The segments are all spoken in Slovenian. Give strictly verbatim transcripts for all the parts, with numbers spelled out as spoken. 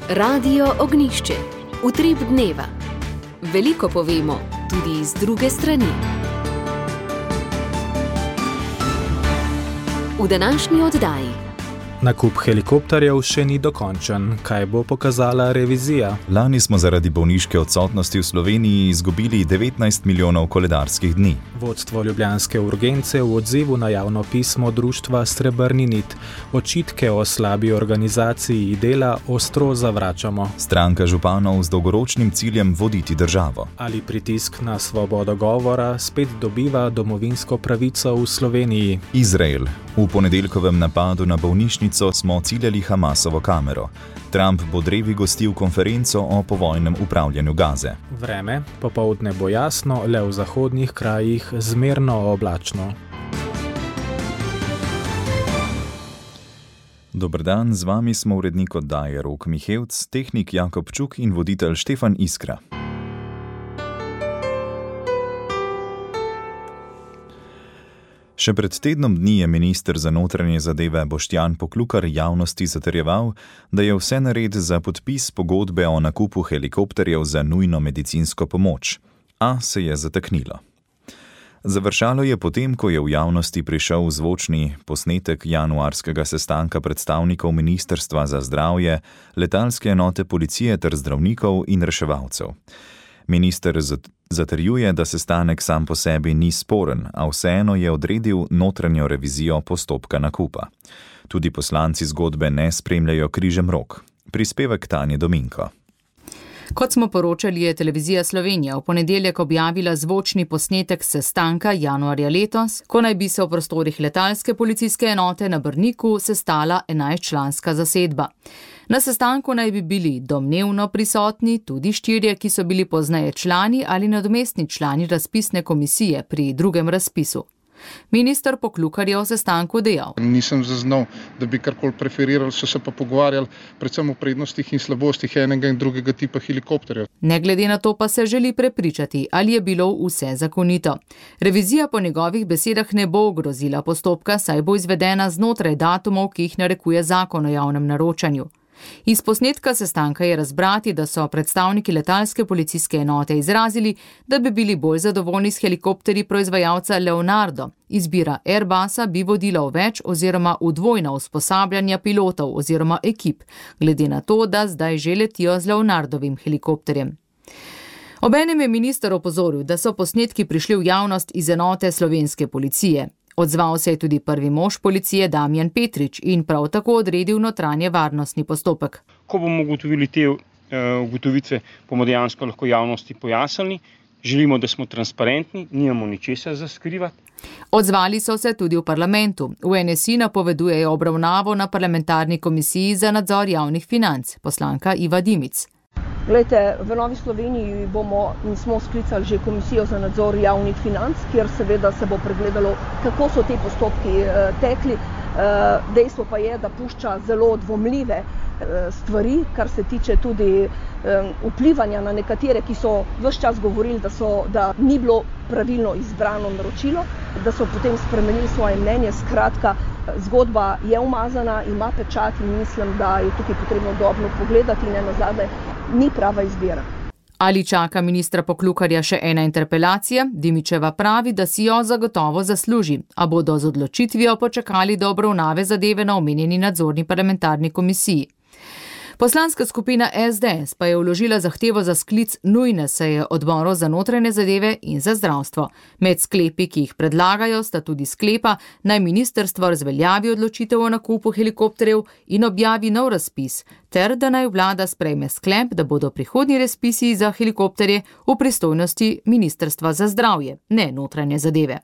Radio Ognjišče. Utrip dneva. Veliko povemo, tudi iz druge strani. V današnji oddaji. Nakup helikopterjev še ni dokončen. Kaj bo pokazala revizija? Lani smo zaradi bolniške odsotnosti v Sloveniji izgubili devetnajst milijonov koledarskih dni. Vodstvo ljubljanske urgence v odzivu na javno pismo društva Srebrni nit. Očitke o slabi organizaciji dela ostro zavračamo. Stranka županov z dolgoročnim ciljem voditi državo. Ali pritisk na svobodo govora spet dobiva domovinsko pravico v Sloveniji? Izrael. V ponedeljkovem napadu na bolnišnico smo ciljali Hamasovo kamero. Trump bo drevi gostil konferenco o povojnem upravljanju Gaze. Vreme, popoldne bo jasno, le v zahodnih krajih zmerno oblačno. Dober dan, z vami smo urednik oddaje Rok Mihevc, tehnik Jakob Čuk in voditelj Štefan Iskra. Še pred tednom dni je minister za notranje zadeve Boštjan Poklukar javnosti zatrjeval, da je vse nared za podpis pogodbe o nakupu helikopterjev za nujno medicinsko pomoč. A se je zataknilo. Završalo je potem, ko je v javnosti prišel zvočni posnetek januarskega sestanka predstavnikov Ministrstva za zdravje, letalske enote policije ter zdravnikov in reševalcev. Minister zatrjuje, da sestanek sam po sebi ni sporen, a vseeno je odredil notranjo revizijo postopka nakupa. Tudi poslanci zgodbe ne spremljajo križem rok. Prispevek Tanje Dominko. Kot smo poročali, je Televizija Slovenija v ponedeljek objavila zvočni posnetek sestanka januarja letos, ko naj bi se v prostorih letalske policijske enote na Brniku sestala enajstčlanska zasedba. Na sestanku naj bi bili domnevno prisotni tudi štirje, ki so bili pozneje člani ali nadomestni člani razpisne komisije pri drugem razpisu. Minister Poklukar je o sestanku dejal. Nisem zaznal, da bi karkoli preferirali, so se pa pogovarjali predvsem o prednostih in slabostih enega in drugega tipa helikopterjev. Ne glede na to pa se želi prepričati, ali je bilo vse zakonito. Revizija po njegovih besedah ne bo ogrozila postopka, saj bo izvedena znotraj datumov, ki jih narekuje zakon o javnem naročanju. Iz posnetka sestanka je razbrati, da so predstavniki letalske policijske enote izrazili, da bi bili bolj zadovoljni s helikopterji proizvajalca Leonardo. Izbira Airbusa bi vodila v več oziroma v dvojna usposabljanja pilotov oziroma ekip, glede na to, da zdaj že letijo z Leonardovim helikopterjem. Obenem je minister opozoril, da so posnetki prišli v javnost iz enote slovenske policije. Odzval se je tudi prvi mož policije Damjan Petrič in prav tako odredil notranje varnostni postopek. Ko bomo ugotovili te uh, ugotovitve, bomo dejansko lahko javnosti pojasnili. Želimo, da smo transparentni, nimamo ničesar za skrivati. Odzvali so se tudi v parlamentu. V N S I napovedujejo obravnavo na parlamentarni komisiji za nadzor javnih financ, poslanka Iva Dimic. Glejte, v Novi Sloveniji bomo in smo sklicali že komisijo za nadzor javnih financ, kjer seveda se bo pregledalo, kako so te postopki eh, tekli. Eh, dejstvo pa je, da pušča zelo dvomljive eh, stvari, kar se tiče tudi eh, vplivanja na nekatere, ki so ves čas govorili, da, so, da ni bilo pravilno izbrano naročilo, da so potem spremenili svoje mnenje. Skratka, zgodba je umazana, ima pečat in mislim, da je tukaj potrebno dobro pogledati in nazadnje ni prava izbira. Ali čaka ministra Poklukarja še ena interpelacija? Dimičeva pravi, da si jo zagotovo zasluži, a bodo z odločitvijo počakali do obravnave zadeve na omenjeni nadzorni parlamentarni komisiji. Poslanska skupina S D S pa je vložila zahtevo za sklic nujne seje odborov za notranje zadeve in za zdravstvo. Med sklepi, ki jih predlagajo, sta tudi sklepa, naj ministrstvo razveljavi odločitev o nakupu helikopterjev in objavi nov razpis, ter da naj vlada sprejme sklep, da bodo prihodnji razpisi za helikopterje v pristojnosti Ministrstva za zdravje, ne notranje zadeve.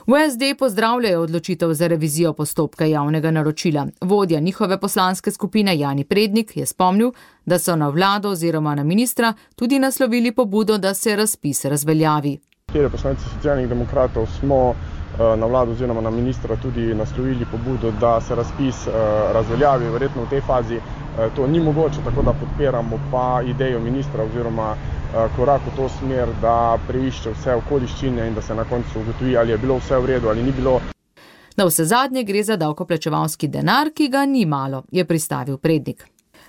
V S D pozdravljajo odločitev za revizijo postopka javnega naročila. Vodja njihove poslanske skupine Jani Prednik je spomnil, da so na vlado oziroma na ministra tudi naslovili pobudo, da se razpis razveljavi. Kjer poslanci Socialnih demokratov smo na vlado oziroma na ministra tudi naslovili pobudo, da se razpis razveljavi. Verjetno v tej fazi to ni mogoče, tako da podpiramo pa idejo ministra oziroma korak v to smer, da preišče vse okoliščine in da se na koncu ugotovi, ali je bilo vse v redu ali ni bilo. Na vse zadnje gre za davkoplačevalski denar, ki ga ni malo, je pristavil Prednik.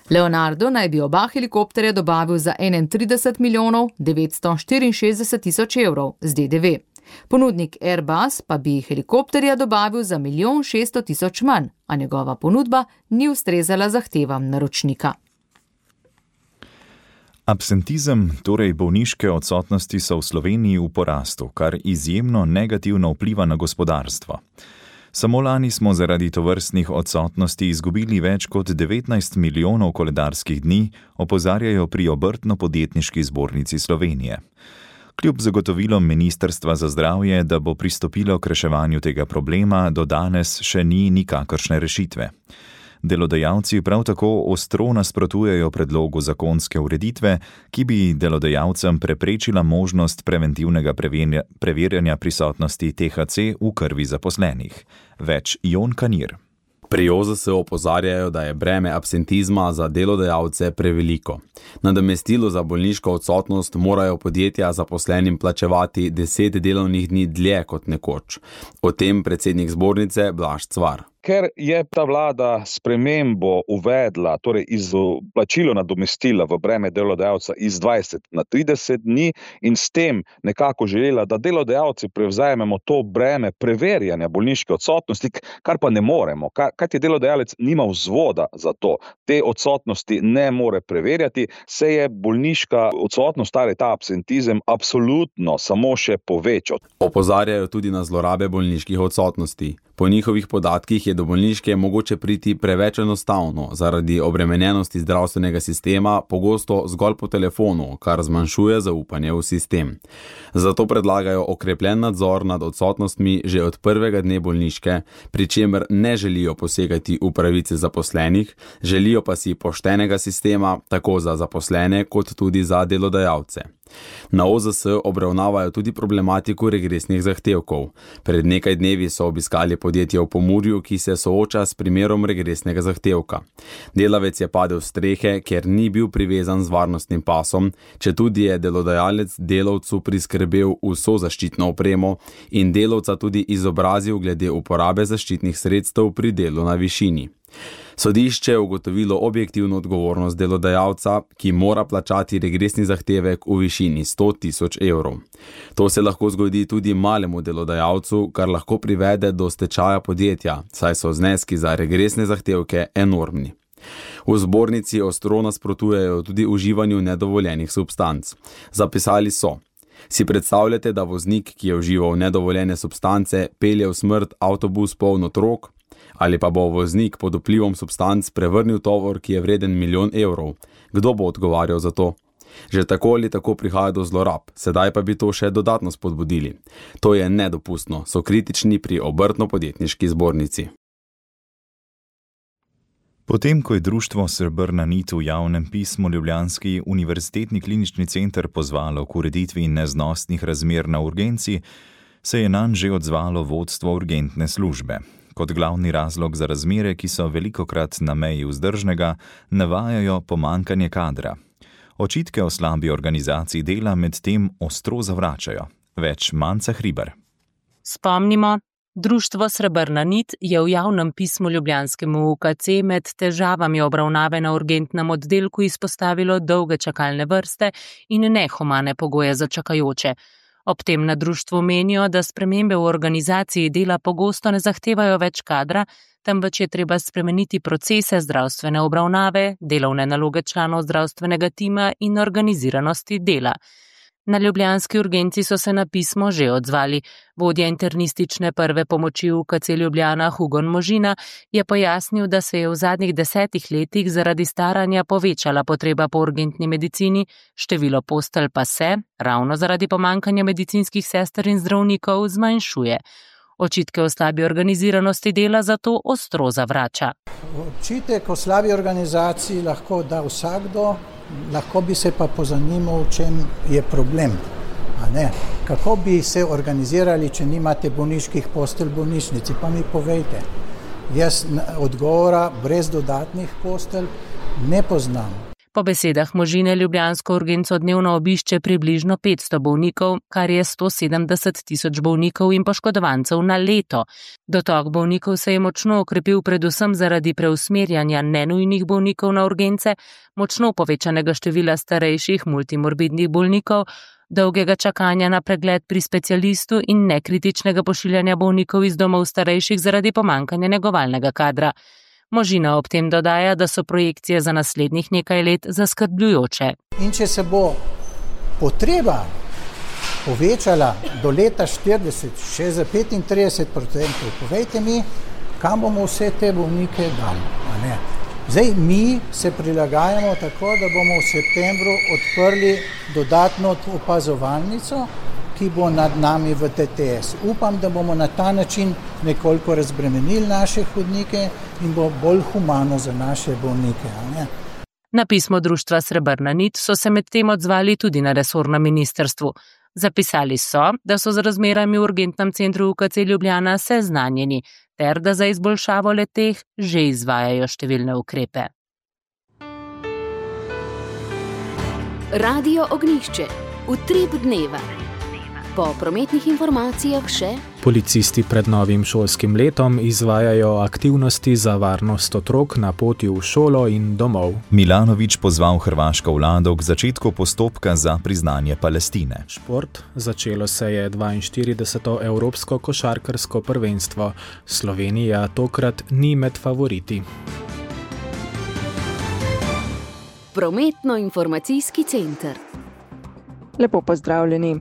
Leonardo naj bi oba helikopterja dobavil za enaintrideset milijonov devetsto štiriinšestdeset tisoč evrov z D D V. Ponudnik Airbus pa bi helikopterja dobavil za milijon šeststo tisoč manj, a njegova ponudba ni ustrezala zahtevam naročnika. Absentizem, torej bolniške odsotnosti, so v Sloveniji v porastu, kar izjemno negativno vpliva na gospodarstvo. Samo lani smo zaradi tovrstnih odsotnosti izgubili več kot devetnajst milijonov koledarskih dni, opozarjajo pri Obrtno-podjetniški zbornici Slovenije. Kljub zagotovilom Ministrstva za zdravje, da bo pristopilo k reševanju tega problema, do danes še ni nikakršne rešitve. Delodajalci prav tako ostro nasprotujejo predlogu zakonske ureditve, ki bi delodajalcem preprečila možnost preventivnega preverjanja prisotnosti T H C v krvi zaposlenih. Več Jon Kanir. Pri O Z S opozarjajo, da je breme absentizma za delodajalce preveliko. Nadomestilo za bolniško odsotnost morajo podjetja zaposlenim plačevati deset delovnih dni dlje kot nekoč. O tem predsednik zbornice Blaž Cvar. Ker je ta vlada spremembo uvedla, torej izplačilo nadomestila v breme delodajalca iz dvajset na trideset dni in s tem nekako želela, da delodajalci prevzamemo to breme preverjanja bolniške odsotnosti, kar pa ne moremo, kajti delodajalec nima vzvoda za to. Te odsotnosti ne more preverjati, se je bolniška odsotnost, torej ta absentizem, absolutno samo še povečal. Opozarjajo tudi na zlorabe bolniških odsotnosti. Po njihovih podatkih je do bolniške mogoče priti preveč enostavno, zaradi obremenjenosti zdravstvenega sistema, pogosto zgolj po telefonu, kar zmanjšuje zaupanje v sistem. Zato predlagajo okrepljen nadzor nad odsotnostmi že od prvega dne bolniške, pri čemer ne želijo posegati v pravice zaposlenih, želijo pa si poštenega sistema tako za zaposlene kot tudi za delodajalce. Na O Z S obravnavajo tudi problematiko regresnih zahtevkov. Pred nekaj dnevi so obiskali podjetje v Pomurju, ki se sooča s primerom regresnega zahtevka. Delavec je padel s strehe, ker ni bil privezan z varnostnim pasom, četudi je delodajalec delavcu priskrbel vso zaščitno opremo in delavca tudi izobrazil glede uporabe zaščitnih sredstev pri delu na višini. Sodišče je ugotovilo objektivno odgovornost delodajalca, ki mora plačati regresni zahtevek v višini sto tisoč evrov. To se lahko zgodi tudi malemu delodajalcu, kar lahko privede do stečaja podjetja, saj so zneski za regresne zahtevke enormni. V zbornici ostro nasprotujejo tudi uživanju nedovoljenih substanc. Zapisali so: Si predstavljate, da voznik, ki je užival nedovoljene substance, pelje v smrt avtobus poln otrok? Ali pa bo voznik pod vplivom substanc prevrnil tovor, ki je vreden milijon evrov? Kdo bo odgovarjal za to? Že tako ali tako prihaja do zlorab, sedaj pa bi to še dodatno spodbudili. To je nedopustno, so kritični pri Obrtno-podjetniški zbornici. Potem, ko je društvo Srebrna nit v javnem pismu Ljubljanski univerzitetni klinični center pozvalo k ureditvi neznosnih razmer na urgenci, se je nanj že odzvalo vodstvo urgentne službe. Kot glavni razlog za razmere, ki so velikokrat na meji vzdržnega, navajajo pomanjkanje kadra. Očitke o slabi organizaciji dela med tem ostro zavračajo. Več Manca Hribar. Spomnimo, društvo Srebrna nit je v javnem pismu Ljubljanskemu U K C med težavami obravnave na urgentnem oddelku izpostavilo dolge čakalne vrste in nehumane pogoje za čakajoče. Ob tem na društvu menijo, da spremembe v organizaciji dela pogosto ne zahtevajo več kadra, temveč je treba spremeniti procese zdravstvene obravnave, delovne naloge članov zdravstvenega tima in organiziranosti dela. Na ljubljanski urgenci so se na pismo že odzvali. Vodja internistične prve pomoči v U K C Ljubljana Hugon Možina je pojasnil, da se je v zadnjih desetih letih zaradi staranja povečala potreba po urgentni medicini, število postelj pa se, ravno zaradi pomanjkanja medicinskih sester in zdravnikov, zmanjšuje. Očitke o slabi organiziranosti dela zato ostro zavrača. Očitek o slabi organizaciji lahko da vsakdo, lahko bi se pa pozanimal, v čem je problem. A ne? Kako bi se organizirali, če nimate bolniških postelj v bolnišnici? Pa mi povejte. Jaz odgovora brez dodatnih postelj ne poznam. Po besedah Možine ljubljansko urgenco dnevno obišče približno petsto bolnikov, kar je sto sedemdeset tisoč bolnikov in poškodovancev na leto. Dotok bolnikov se je močno okrepil predvsem zaradi preusmerjanja nenujnih bolnikov na urgence, močno povečanega števila starejših multimorbidnih bolnikov, dolgega čakanja na pregled pri specialistu in nekritičnega pošiljanja bolnikov iz domov starejših zaradi pomanjkanja negovalnega kadra. Možina ob tem dodaja, da so projekcije za naslednjih nekaj let zaskrbljujoče. In če se bo potreba povečala do leta štirideset še za petintrideset procentov, povejte mi, kam bomo vse te bolnike dali, a ne? Zdaj, mi se prilagajamo tako, da bomo v septembru odprli dodatno opazovalnico, ki bo nad nami v T T S. Upam, da bomo na ta način nekoliko razbremenili naše hodnike in bo bolj humano za naše bolnike. Ne? Na pismo društva Srebrna nit so se med tem odzvali tudi na resornem ministrstvu. Zapisali so, da so z razmerami v urgentnem centru U K C Ljubljana seznanjeni, ter da za izboljšavo le-teh že izvajajo številne ukrepe. Radio Ognjišče. Utrip dneva. Po prometnih informacijah še policisti pred novim šolskim letom izvajajo aktivnosti za varnost otrok na poti v šolo in domov. Milanović pozval hrvaško vlado k začetku postopka za priznanje Palestine. Šport. Začelo se je dvainštirideseto evropsko košarkarsko prvenstvo. Slovenija tokrat ni med favoriti. Prometno-informacijski center. Lepo pozdravljeni.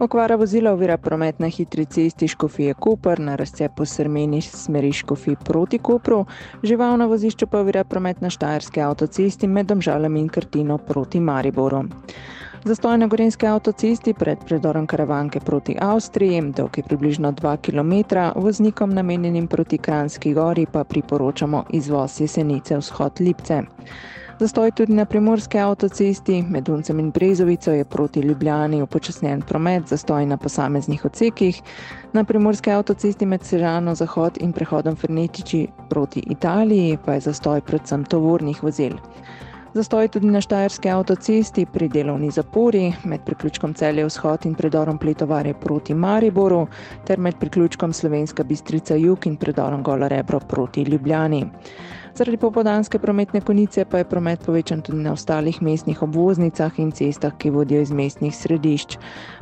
Okvara vozila ovira promet na hitri cesti Škofije Koper na razcepu Srmeni smeri Škofij proti Kopru, žival na vozišču pa ovira promet na Štajerski avtocesti med Domžalami in Krtino proti Mariboru. Zastoj na Gorenjski avtocesti pred predorom Karavanke proti Avstriji, dolg je približno dva kilometra, voznikom namenjenim proti Kranjski gori pa priporočamo izvoz Jesenice vzhod Lipce. Zastoj tudi na Primorski avtocesti, med Uncem in Brezovico je proti Ljubljani upočasnjen promet, zastoj na posameznih odsekih. Na Primorski avtocesti med Sežano Zahod in prehodom Fernetiči proti Italiji pa je zastoj predvsem tovornih vozil. Zastoj tudi na Štajerski avtocesti pri delovni zapori, med priključkom Celje vzhod in predorom Pletovarje proti Mariboru, ter med priključkom Slovenska Bistrica jug in predorom Gola Rebro proti Ljubljani. Zaradi popoldanske prometne konice pa je promet povečan tudi na ostalih mestnih obvoznicah in cestah, ki vodijo iz mestnih središč.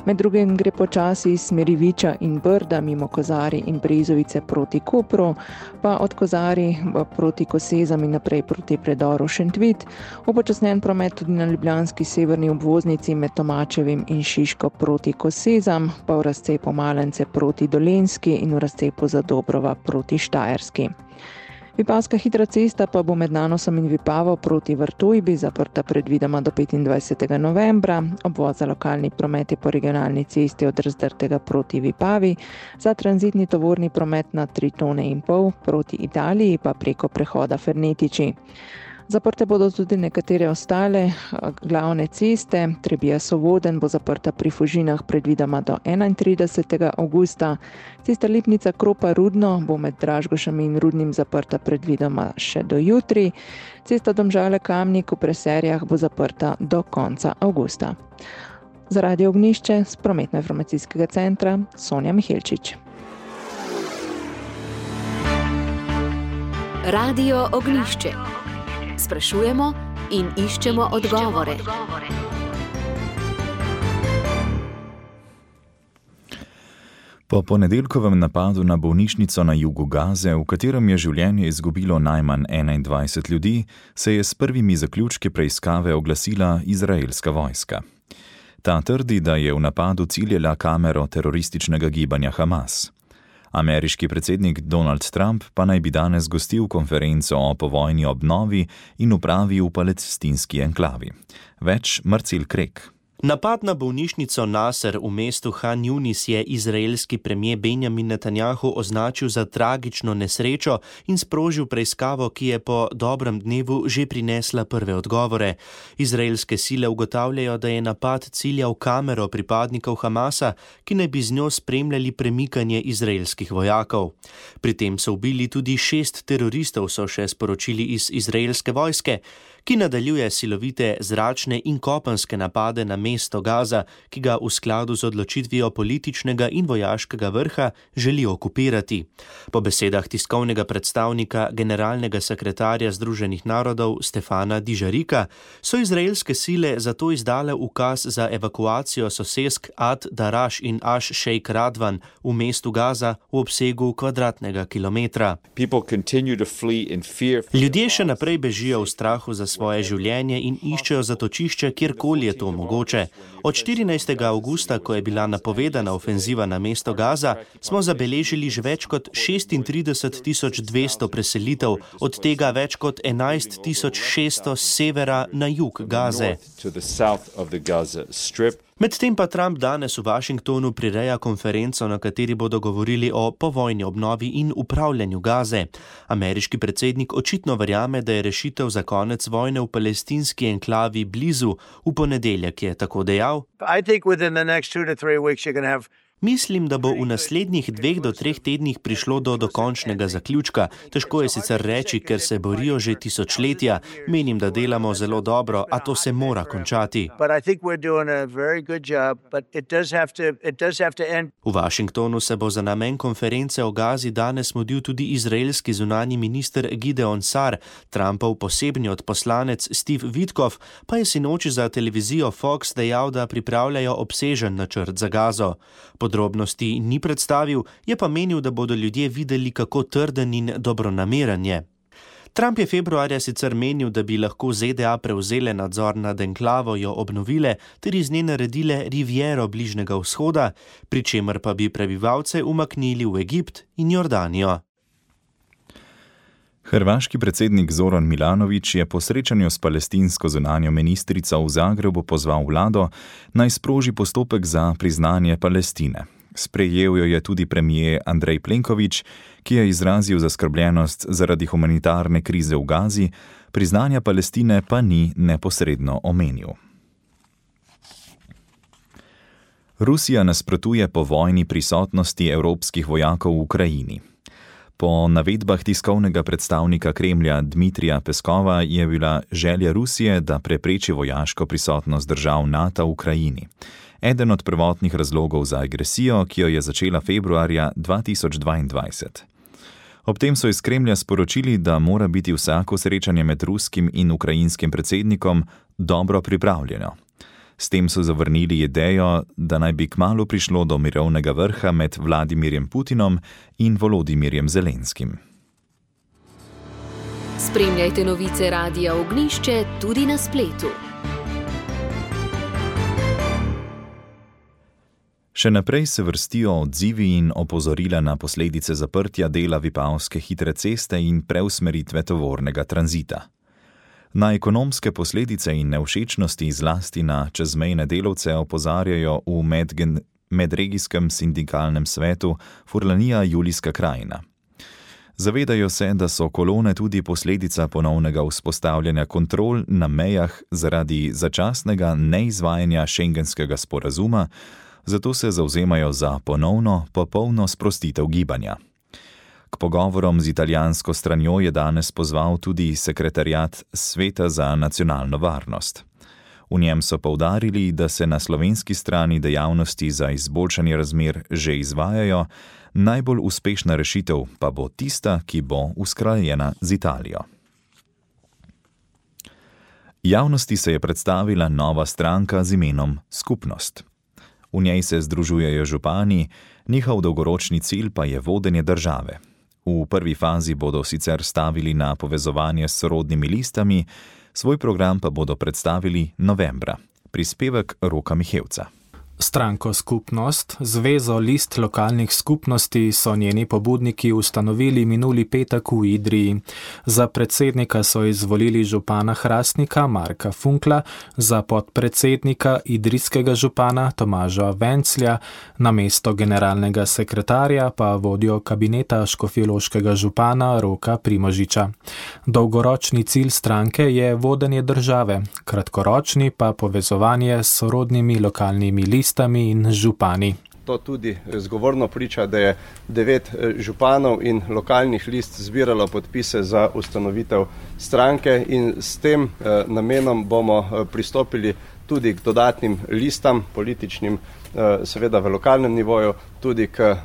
Med drugim gre počasi iz smeri Viča in Brda mimo Kozari in Brezovice proti Kopru, pa od Kozari proti Kosezam in naprej proti predoru Šentvit, upočasnjen promet tudi na ljubljanski severni obvoznici med Tomačevim in Šiško proti Kosezam, pa v razcepu Malence proti Dolenjski in v razcepu Zadobrova proti Štajerski. Vipavska hitra cesta pa bo med Nanosom in Vipavo proti Vrtojbi zaprta predvidoma do petindvajsetega novembra, obvoz za lokalni promet je po regionalni cesti od Razdrtega proti Vipavi, za tranzitni tovorni promet na tri tone in pol proti Italiji pa preko prehoda Fernetiči. Zaprte bodo tudi nekatere ostale glavne ceste, Trebija Sovoden bo zaprta pri Fužinah predvidoma do enaintridesetega avgusta, cesta Lipnica Kropa Rudno bo med Dražgošami in Rudnim zaprta predvidoma še do jutri, cesta Domžale Kamnik v Preserjah bo zaprta do konca avgusta. Za Radio Ognjišče z prometno-informacijskega centra Sonja Mihelčič. Radio Ognjišče. Sprašujemo in iščemo odgovore. Po ponedeljkovem napadu na bolnišnico na jugu Gaze, v katerem je življenje izgubilo najmanj enaindvajset ljudi, se je s prvimi zaključki preiskave oglasila izraelska vojska. Ta trdi, da je v napadu ciljala kamero terorističnega gibanja Hamas. Ameriški predsednik Donald Trump pa naj bi danes gostil konferenco o povojni obnovi in upravi v palestinski enklavi. Več Marcel Krek. Napad na bolnišnico Nasser v mestu Han Yunis je izraelski premier Benjamin Netanjahu označil za tragično nesrečo in sprožil preiskavo, ki je po dobrem dnevu že prinesla prve odgovore. Izraelske sile ugotavljajo, da je napad ciljal kamero pripadnikov Hamasa, ki naj bi z njo spremljali premikanje izraelskih vojakov. Pri tem so ubili tudi šest teroristov, so še sporočili iz izraelske vojske. ki nadaljuje silovite zračne in kopenske napade na mesto Gaza, ki ga v skladu z odločitvijo političnega in vojaškega vrha želi okupirati. Po besedah tiskovnega predstavnika generalnega sekretarja Združenih narodov Stefana Dižarika so izraelske sile zato izdale ukaz za evakuacijo sosesk Ad Daraš in Aš Šejk Radvan v mestu Gaza v obsegu kvadratnega kilometra. Ljudje še naprej bežijo v strahu za svoje življenje in iščejo zatočišče, kjerkoli je to mogoče. Od štirinajstega avgusta, ko je bila napovedana ofenziva na mesto Gaza, smo zabeležili že več kot šestintrideset tisoč dvesto preselitev, od tega več kot enajst tisoč šeststo s severa na jug Gaze. Medtem pa Trump danes v Washingtonu prireja konferenco, na kateri bodo govorili o povojni obnovi in upravljanju Gaze. Ameriški predsednik očitno verjame, da je rešitev za konec vojne v palestinski enklavi blizu. V ponedeljek je tako dejal: Mislim, da bo v naslednjih dveh do treh tednih prišlo do dokončnega zaključka. Težko je sicer reči, ker se borijo že tisočletja. Menim, da delamo zelo dobro, a to se mora končati. V Washingtonu se bo za namen konference o Gazi danes mudil tudi izraelski zunanji minister Gideon Sar. Trumpov posebni odposlanec Steve Witkoff pa je sinoči za televizijo Fox dejal, da pripravljajo obsežen načrt za Gazo. Podrobnosti ni predstavil, je pa menil, da bodo ljudje videli, kako trden in dobronameren je. Trump je februarja sicer menil, da bi lahko Z D A prevzele nadzor nad enklavo, jo obnovile ter iz nje naredile riviero Bližnjega vzhoda, pri čemer pa bi prebivalce umaknili v Egipt in Jordanijo. Hrvaški predsednik Zoran Milanović je po srečanju s palestinsko zunanjo ministrico v Zagrebu pozval vlado, naj sproži postopek za priznanje Palestine. Sprejel jo je tudi premijer Andrej Plenković, ki je izrazil zaskrbljenost zaradi humanitarne krize v Gazi, priznanja Palestine pa ni neposredno omenil. Rusija nasprotuje povojni prisotnosti evropskih vojakov v Ukrajini. Po navedbah tiskovnega predstavnika Kremlja Dmitrija Peskova je bila želja Rusije, da prepreči vojaško prisotnost držav NATO v Ukrajini. Eden od prvotnih razlogov za agresijo, ki jo je začela februarja dva tisoč dvaindvajset. Ob tem so iz Kremlja sporočili, da mora biti vsako srečanje med ruskim in ukrajinskim predsednikom dobro pripravljeno. S tem so zavrnili idejo, da naj bi kmalu prišlo do mirovnega vrha med Vladimirjem Putinom in Volodimirjem Zelenskim. Spremljajte novice Radia Ognjišče tudi na spletu. Še naprej se vrstijo odzivi in opozorila na posledice zaprtja dela Vipavske hitre ceste in preusmeritve tovornega tranzita. Na ekonomske posledice in nevšečnosti zlasti na čezmejne delavce opozarjajo v medgen, medregijskem sindikalnem svetu Furlanija Julijska krajina. Zavedajo se, da so kolone tudi posledica ponovnega vzpostavljanja kontrol na mejah zaradi začasnega neizvajanja šengenskega sporazuma, zato se zavzemajo za ponovno, popolno sprostitev gibanja. K pogovorom z italijansko stranjo je danes pozval tudi sekretariat Sveta za nacionalno varnost. V njem so poudarili, da se na slovenski strani dejavnosti za izboljšanje razmer že izvajajo, najbolj uspešna rešitev pa bo tista, ki bo usklajena z Italijo. Javnosti se je predstavila nova stranka z imenom Skupnost. V njej se združujejo župani, njihov dolgoročni cilj pa je vodenje države. V prvi fazi bodo sicer stavili na povezovanje s sorodnimi listami, svoj program pa bodo predstavili novembra. Prispevek Roka Mihevca. Stranko Skupnost, Zvezo list lokalnih skupnosti, so njeni pobudniki ustanovili minuli petek v Idriji. Za predsednika so izvolili župana Hrastnika Marka Funkla, za podpredsednika idrijskega župana Tomaža Venclja, na mesto generalnega sekretarja pa vodjo kabineta škofjeloškega župana Roka Primožiča. Dolgoročni cilj stranke je vodenje države, kratkoročni pa povezovanje s sorodnimi lokalnimi listami in župani. To tudi zgovorno priča, da je devet županov in lokalnih list zbiralo podpise za ustanovitev stranke in s tem eh, namenom bomo pristopili tudi k dodatnim listam političnim, eh, seveda v lokalnem nivoju, tudi k eh,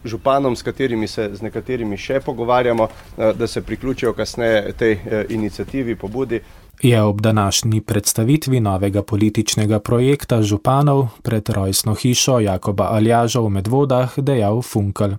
županom, s katerimi se z nekaterimi še pogovarjamo, eh, da se priključijo kasneje tej eh, iniciativi, pobudi. Je ob današnji predstavitvi novega političnega projekta županov pred rojstno hišo Jakoba Aljaža v Medvodah dejal Funkel.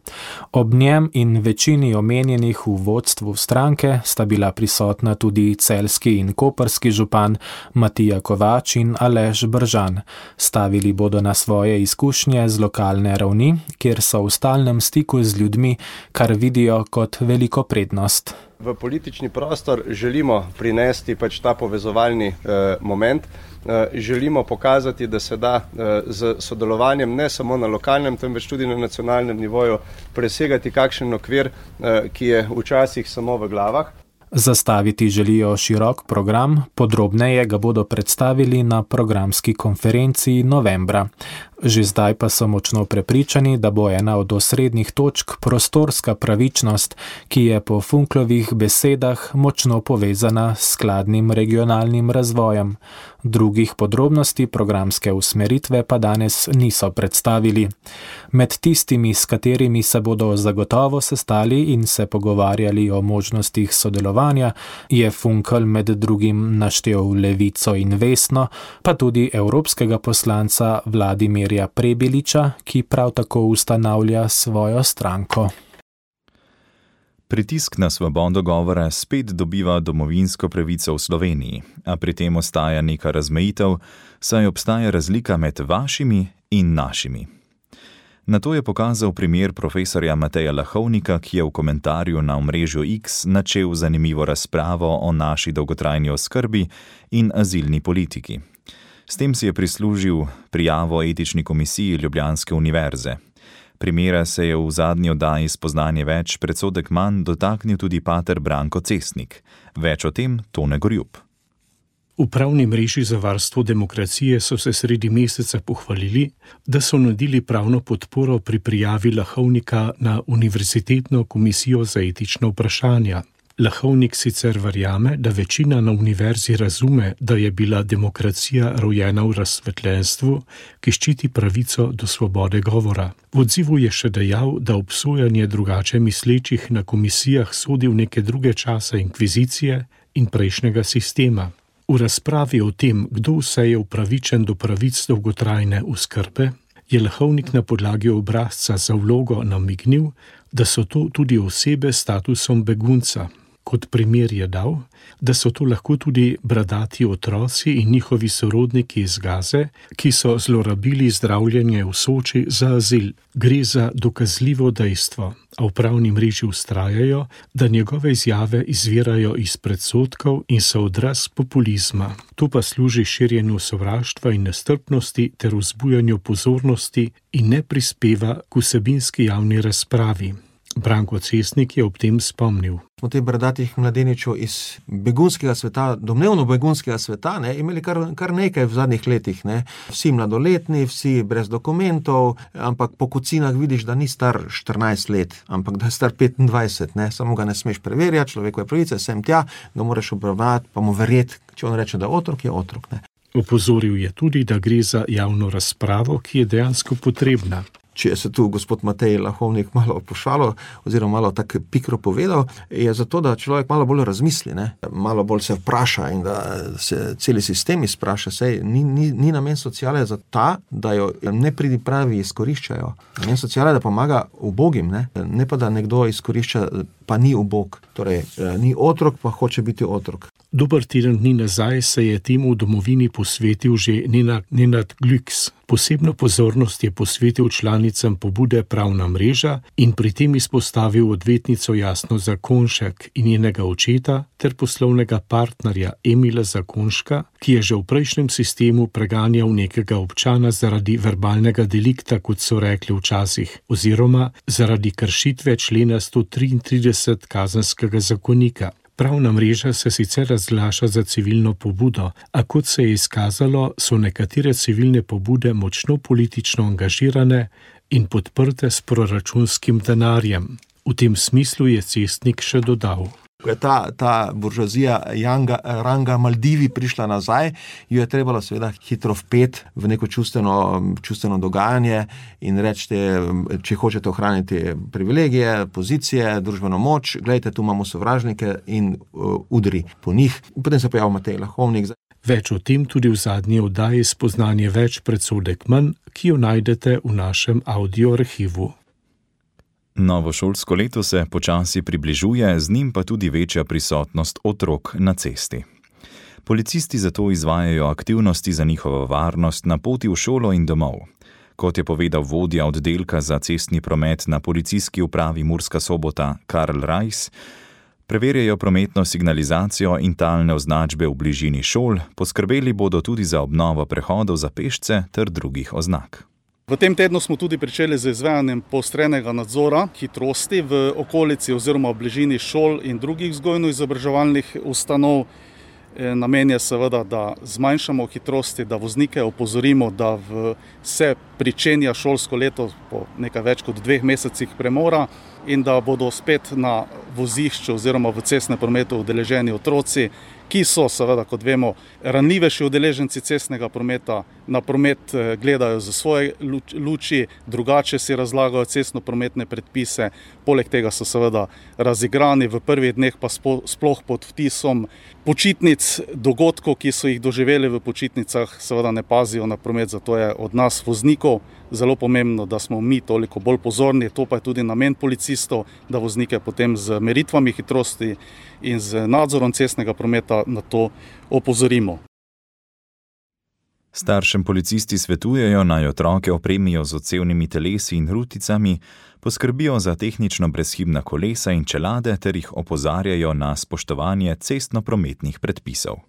Ob njem in večini omenjenih v vodstvu stranke sta bila prisotna tudi celjski in koprski župan Matija Kovač in Aleš Bržan. Stavili bodo na svoje izkušnje z lokalne ravni, kjer so v stalnem stiku z ljudmi, kar vidijo kot veliko prednost. V politični prostor želimo prinesti pač ta povezovalni eh, moment, eh, želimo pokazati, da se da eh, z sodelovanjem ne samo na lokalnem, temveč tudi na nacionalnem nivoju presegati kakšen okvir, eh, ki je včasih samo v glavah. Zastaviti želijo širok program, podrobneje ga bodo predstavili na programski konferenci novembra. Že zdaj pa so močno prepričani, da bo ena od osrednjih točk prostorska pravičnost, ki je po Funklovih besedah močno povezana s skladnim regionalnim razvojem. Drugih podrobnosti programske usmeritve pa danes niso predstavili. Med tistimi, s katerimi se bodo zagotovo sestali in se pogovarjali o možnostih sodelovanja, je Funkel med drugim naštel Levico in Vesno, pa tudi evropskega poslanca Vladimirja Prebiliča, ki prav tako ustanavlja svojo stranko. Pritisk na svobodo govora spet dobiva domovinsko pravico v Sloveniji, a pri tem ostaja neka razmejitev, saj obstaja razlika med vašimi in našimi. Na to je pokazal primer profesorja Mateja Lahovnika, ki je v komentarju na omrežju X načel zanimivo razpravo o naši dolgotrajni oskrbi in azilni politiki. S tem si je prislužil prijavo etični komisiji Ljubljanske univerze. Primera se je v zadnji oddaji Spoznanje več, predsodek manj dotaknil tudi pater Branko Cesnik. Več o tem Tone Gorjup. V pravni mreži za varstvo demokracije so se sredi meseca pohvalili, da so nudili pravno podporo pri prijavi Lahovnika na Univerzitetno komisijo za etična vprašanja. Lahovnik sicer verjame, da večina na univerzi razume, da je bila demokracija rojena v razsvetljenstvu, ki ščiti pravico do svobode govora. V odzivu je še dejal, da obsojanje drugače mislečih na komisijah sodi v neke druge čase inkvizicije in prejšnjega sistema. V razpravi o tem, kdo vse je upravičen do pravic dolgotrajne oskrbe, je Lahovnik na podlagi obrazca za vlogo namignil, da so to tudi osebe s statusom begunca. Kot primer je dal, da so to lahko tudi bradati otroci in njihovi sorodniki iz Gaze, ki so zlorabili zdravljenje v Soči za azil. Gre za dokazljivo dejstvo, a v pravni mreži vztrajajo, da njegove izjave izvirajo iz predsodkov in so odraz populizma. To pa služi širjenju sovraštva in nestrpnosti ter vzbujanju pozornosti in ne prispeva k vsebinski javni razpravi. Branko Cesnik je ob tem spomnil. Smo te bradatih mladeničev iz begunskega sveta, domnevno begunskega sveta, ne, imeli kar, kar nekaj v zadnjih letih. Ne. Vsi mladoletni, vsi brez dokumentov, ampak po kocinah vidiš, da ni star štirinajst let, ampak da je star petindvajset. Ne. Samo ga ne smeš preverjati, človekove pravice, sem tja, ga moraš obravnavati, pa mu verjeti, če on reče, da je otrok, je otrok. Ne. Opozoril je tudi, da gre za javno razpravo, ki je dejansko potrebna. Če se tu gospod Matej Lahovnik malo pošalo oziroma malo tako pikro povedal, je zato, da človek malo bolj razmisli, ne? Malo bolj se vpraša in da se celi sistem izpraša. Sej ni, ni, ni namen sociale za ta, da jo nepridipravi izkoriščajo. Namen sociale je, da pomaga ubogim, ne? Ne pa, da nekdo izkorišča, pa ni ubog. Torej, ni otrok, pa hoče biti otrok. Dober teden dni nazaj se je temu v domovini posvetil že Nenad, Nenad Glüks. Posebno pozornost je posvetil članicam pobude Pravna mreža in pri tem izpostavil odvetnico Jasno Zakonšek in njenega očeta ter poslovnega partnerja Emila Zakonška, ki je že v prejšnjem sistemu preganjal nekega občana zaradi verbalnega delikta, kot so rekli včasih, oziroma zaradi kršitve člena sto triintrideset kazenskega zakonika. Pravna mreža se sicer razglaša za civilno pobudo, a kot se je izkazalo, so nekatere civilne pobude močno politično angažirane in podprte s proračunskim denarjem. V tem smislu je Cestnik še dodal. Ko je ta, ta buržoazija Janga, ranga Maldivi prišla nazaj, jo je trebalo seveda hitro vpet v neko čustveno, čustveno dogajanje in reči, če hočete ohraniti privilegije, pozicije, družbeno moč, gledajte, tu imamo sovražnike in uh, udri po njih. Potem se pojavil Matej Lahovnik. Več o tem tudi v zadnji oddaji Spoznanje več, predsodek manj, ki jo najdete v našem audio arhivu. Novo šolsko leto se počasi približuje, z njim pa tudi večja prisotnost otrok na cesti. Policisti zato izvajajo aktivnosti za njihovo varnost na poti v šolo in domov. Kot je povedal vodja oddelka za cestni promet na policijski upravi Murska Sobota Karl Rajs, preverjajo prometno signalizacijo in talne označbe v bližini šol, poskrbeli bodo tudi za obnovo prehodov za pešce ter drugih oznak. V tem tednu smo tudi pričeli z izvajanjem poostrenega nadzora hitrosti v okolici oziroma v bližini šol in drugih vzgojno-izobraževalnih ustanov. Namen je seveda, da zmanjšamo hitrosti, da voznike opozorimo, da v se pričenja šolsko leto po nekaj več kot dveh mesecih premora in da bodo spet na vozišču oziroma v cestnem prometu udeleženi otroci, ki so seveda, kot vemo, ranljivejši udeleženci cestnega prometa, na promet gledajo za svoje luči, drugače si razlagajo cestno-prometne predpise, poleg tega so seveda razigrani, v prvih dneh pa sploh pod vtisom počitnic, dogodkov, ki so jih doživeli v počitnicah, seveda ne pazijo na promet, zato je od nas voznikov zelo pomembno, da smo mi toliko bolj pozorni, to pa je tudi namen policistov, da voznike potem z meritvami hitrosti in z nadzorom cestnega prometa na to opozorimo. Staršem policisti svetujejo, naj otroke opremijo z odsevnimi telesi in ruticami, poskrbijo za tehnično brezhibna kolesa in čelade ter jih opozarjajo na spoštovanje cestno-prometnih predpisov.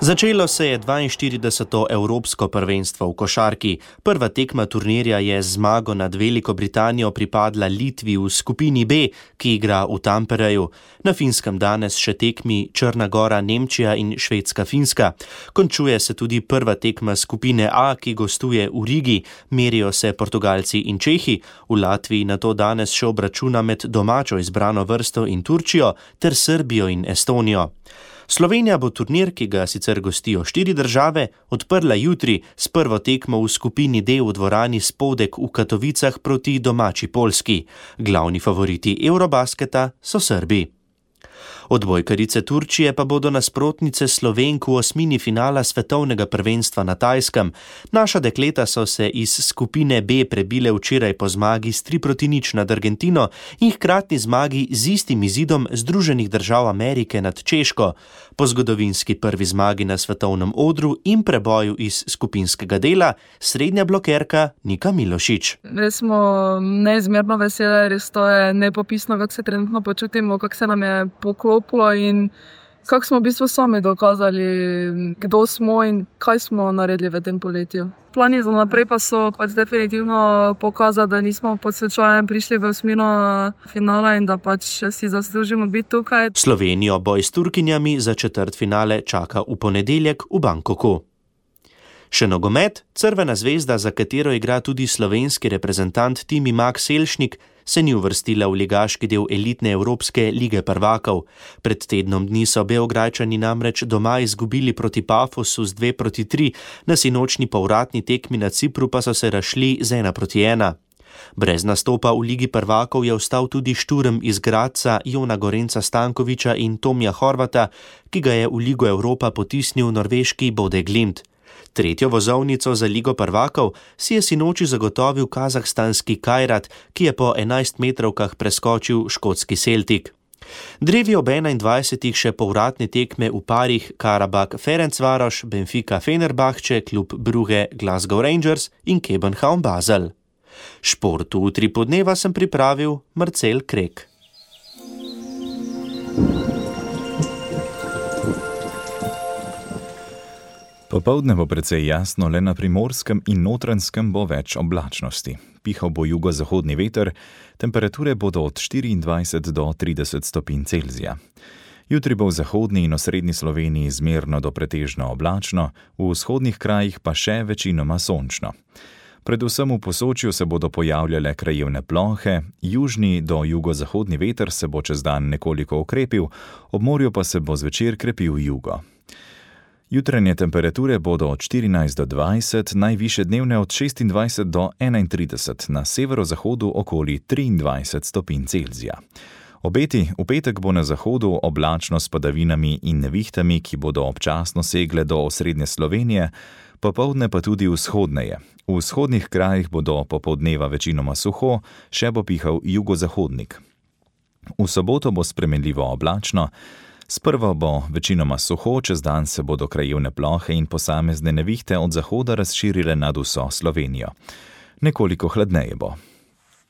Začelo se je dvainštirideseto Evropsko prvenstvo v košarki. Prva tekma turnirja je z zmago nad Veliko Britanijo pripadla Litvi v skupini B, ki igra v Tampereju. Na Finskem danes še tekmi Črna Gora, Nemčija in Švedska, Finska. Končuje se tudi prva tekma skupine A, ki gostuje v Rigi. Merijo se Portugalci in Čehi. V Latviji nato danes še obračuna med domačo izbrano vrsto in Turčijo ter Srbijo in Estonijo. Slovenija bo turnir, ki ga sicer gostijo štiri države, odprla jutri s prvo tekmo v skupini D v dvorani Spodek v Katovicah proti domači Poljski. Glavni favoriti Eurobasketa so Srbi. Odbojkarice Turčije pa bodo nasprotnice Slovenk v osmini finala svetovnega prvenstva na Tajskem. Naša dekleta so se iz skupine B prebile včeraj po zmagi s tri proti nič nad Argentino in hkratni zmagi z istim izidom Združenih držav Amerike nad Češko. Po zgodovinski prvi zmagi na svetovnem odru in preboju iz skupinskega dela srednja blokerka Nika Milošič. Res smo neizmerno veseli, res to je nepopisno, kako se trenutno počutimo, kako se nam je poklopilo in kako smo v bistvu sami dokazali, kdo smo in kaj smo naredili v tem poletju. Plani za naprej pa so pač definitivno pokazali, da nismo pod slučajem prišli v osmino finala in da pač si zaslužimo biti tukaj. Slovenijo boj s Turkinjami za četrtfinale čaka v ponedeljek v Bangkoku. Še nogomet, Crvena zvezda, za katero igra tudi slovenski reprezentant Timi Mak Selšnik, se ni uvrstila v ligaški del elitne Evropske lige prvakov. Pred tednom dni so Beograjčani namreč doma izgubili proti Pafosu z dve proti tri, na sinočni povratni tekmi na Cipru pa so se razšli z ena proti ena. Brez nastopa v ligi prvakov je ostal tudi Šturm iz Gradca, Jona Gorenca Stankoviča in Tomija Horvata, ki ga je v Ligo Evropa potisnil norveški Bode Glimt. Tretjo vozovnico za Ligo prvakov si je sinoči zagotovil kazahstanski Kajrat, ki je po enajstmetrovkah preskočil škotski Celtic. Drevi ob enaindvajsetih še povratne tekme v parih Karabakh-Ferencvaroš, Benfica-Fenerbahče, klub Brugge Glasgow Rangers in Kebenhavn Basel. Šport v tri podneva sem pripravil Marcel Krek. Popoldne bo precej jasno, le na Primorskem in Notranjskem bo več oblačnosti. pihal bo jugozahodni veter, temperature bodo od štiriindvajset do trideset stopinj Celzija. Jutri bo v zahodni in osrednji Sloveniji zmerno do pretežno oblačno, v vzhodnih krajih pa še večinoma sončno. Predvsem v Posočju se bodo pojavljale krajevne plohe, južni do jugozahodni veter se bo čez dan nekoliko okrepil, ob morju pa se bo zvečer krepil jugo. Jutranje temperature bodo od štirinajst do dvajset, najvišje dnevne od šestindvajset do enaintrideset, na severozahodu okoli triindvajset stopinj Celzija. Obeti: v petek bo na zahodu oblačno s padavinami in nevihtami, ki bodo občasno segle do osrednje Slovenije, popoldne pa tudi vzhodneje. V vzhodnih krajih bodo popoldneva večinoma suho, še bo pihal jugozahodnik. V soboto bo spremenljivo oblačno, sprva bo večinoma suho, čez dan se bodo krajevne plohe in posamezne nevihte od zahoda razširile nad vso Slovenijo. Nekoliko hladneje bo.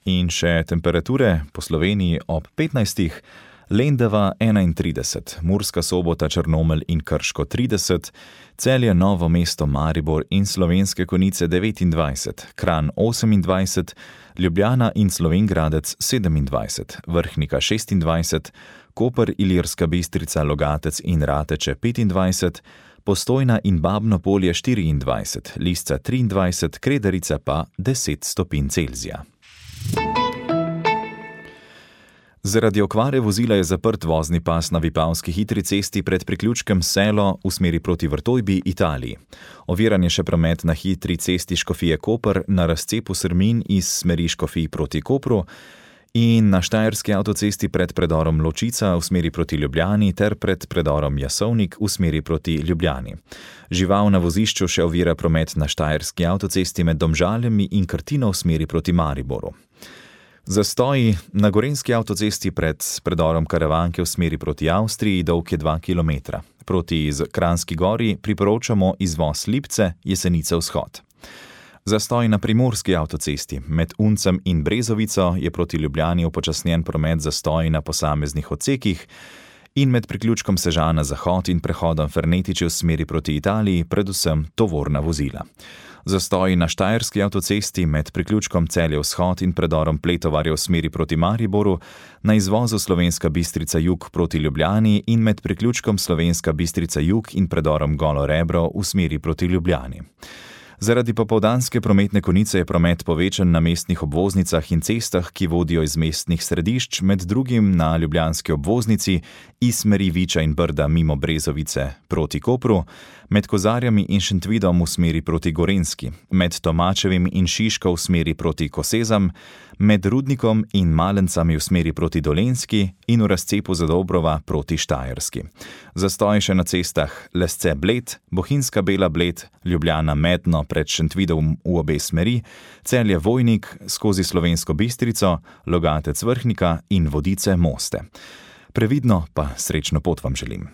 In še temperature po Sloveniji ob petnajstih, Lendava enaintrideset, Murska Sobota, Črnomelj in Krško trideset, Celje, Novo mesto, Maribor in Slovenske Konjice devetindvajset, Kranj osemindvajset, Ljubljana in Slovenj Gradec sedemindvajset, Vrhnika šestindvajset, Koper, Ilirska Bistrica, Logatec in Rateče petindvajset, Postojna in Babno Polje štiriindvajset, Lisca triindvajset, Kredarica pa deset stopinj Celzija. Zaradi okvare vozila je zaprt vozni pas na Vipavski hitri cesti pred priključkem Selo v smeri proti Vrtojbi, Italiji. Oviran je še promet na hitri cesti Škofije Koper na razcepu Srmin iz smeri Škofij proti Kopru in na Štajerski avtocesti pred predorom Ločica v smeri proti Ljubljani ter pred predorom Jasovnik v smeri proti Ljubljani. Žival na vozišču še ovira promet na Štajerski avtocesti med Domžaljami in Krtino v smeri proti Mariboru. Zastoji na Gorenjski avtocesti pred predorom Karavanke v smeri proti Avstriji dolg je dva kilometra. Proti Kranjski Gori priporočamo izvoz Lipce, Jesenice vzhod. Zastoj na Primorski avtocesti med Uncem in Brezovico je proti Ljubljani upočasnjen promet zastoji na posameznih odsekih in med priključkom Sežana zahod in prehodom Fernetiče v smeri proti Italiji predvsem tovorna vozila. Zastoji na Štajerski avtocesti med priključkom Celje vzhod in predorom Pletovarja v smeri proti Mariboru, na izvozu Slovenska Bistrica jug proti Ljubljani in med priključkom Slovenska Bistrica jug in predorom Golo Rebro v smeri proti Ljubljani. Zaradi popoldanske prometne konice je promet povečan na mestnih obvoznicah in cestah, ki vodijo iz mestnih središč, med drugim na ljubljanski obvoznici iz smeri Viča in Brda mimo Brezovice proti Kopru, med Kozarjami in Šentvidom v smeri proti Gorenjski, med Tomačevim in Šiško v smeri proti Kosezam, med Rudnikom in Malencami v smeri proti Dolenjski in v razcepu Zadobrova proti Štajerski. Zastoj še na cestah Lesce Bled, Bohinjska Bela Bled, Ljubljana Medno pred Šentvidom v obe smeri, Celje Vojnik skozi Slovensko Bistrico, Logatec Vrhnika in Vodice Moste. Previdno pa srečno pot vam želim.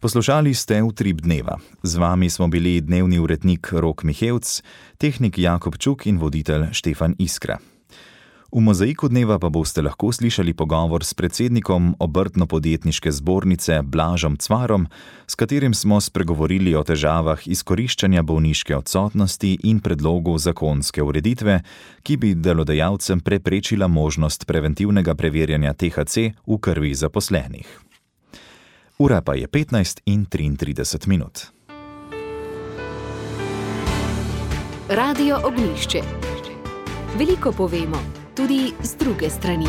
Poslušali ste Utrip dneva. Z vami smo bili dnevni urednik Rok Mihevc, tehnik Jakob Čuk in voditelj Štefan Iskra. V mozaiku dneva pa boste lahko slišali pogovor s predsednikom Obrtno-podjetniške zbornice Blažom Cvarom, s katerim smo spregovorili o težavah izkoriščanja bolniške odsotnosti in predlogu zakonske ureditve, ki bi delodajalcem preprečila možnost preventivnega preverjanja T H C v krvi zaposlenih. Ura pa je petnajst in triintrideset minut. Radio Ognjišče. Veliko povemo, tudi z druge strani.